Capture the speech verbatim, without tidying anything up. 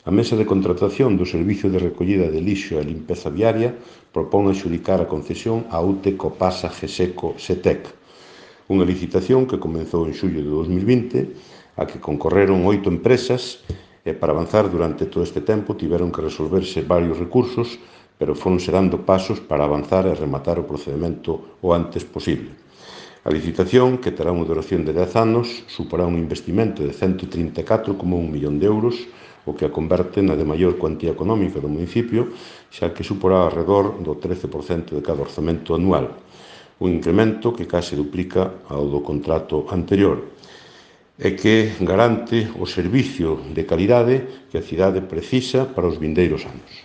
A Mesa de Contratación do Servicio de Recollida de Lixo e Limpeza Viaria propón adxudicar a concesión a U T E Copasa Geseco Setec, unha licitación que comezou en xullo de dos mil vinte, a que concorreron oito empresas e para avanzar durante todo este tempo tiveron que resolverse varios recursos, pero foronse dando pasos para avanzar e rematar o procedimento o antes posible. A licitación, que terá unha duración de dez anos, suporá un investimento de ciento trinta e catro coma un millón de euros, o que a converte na de maior cuantía económica do municipio, xa que suporá alrededor do trece por cento de cada orzamento anual, un incremento que case duplica ao do contrato anterior, e que garante o servicio de calidade que a cidade precisa para os vindeiros anos.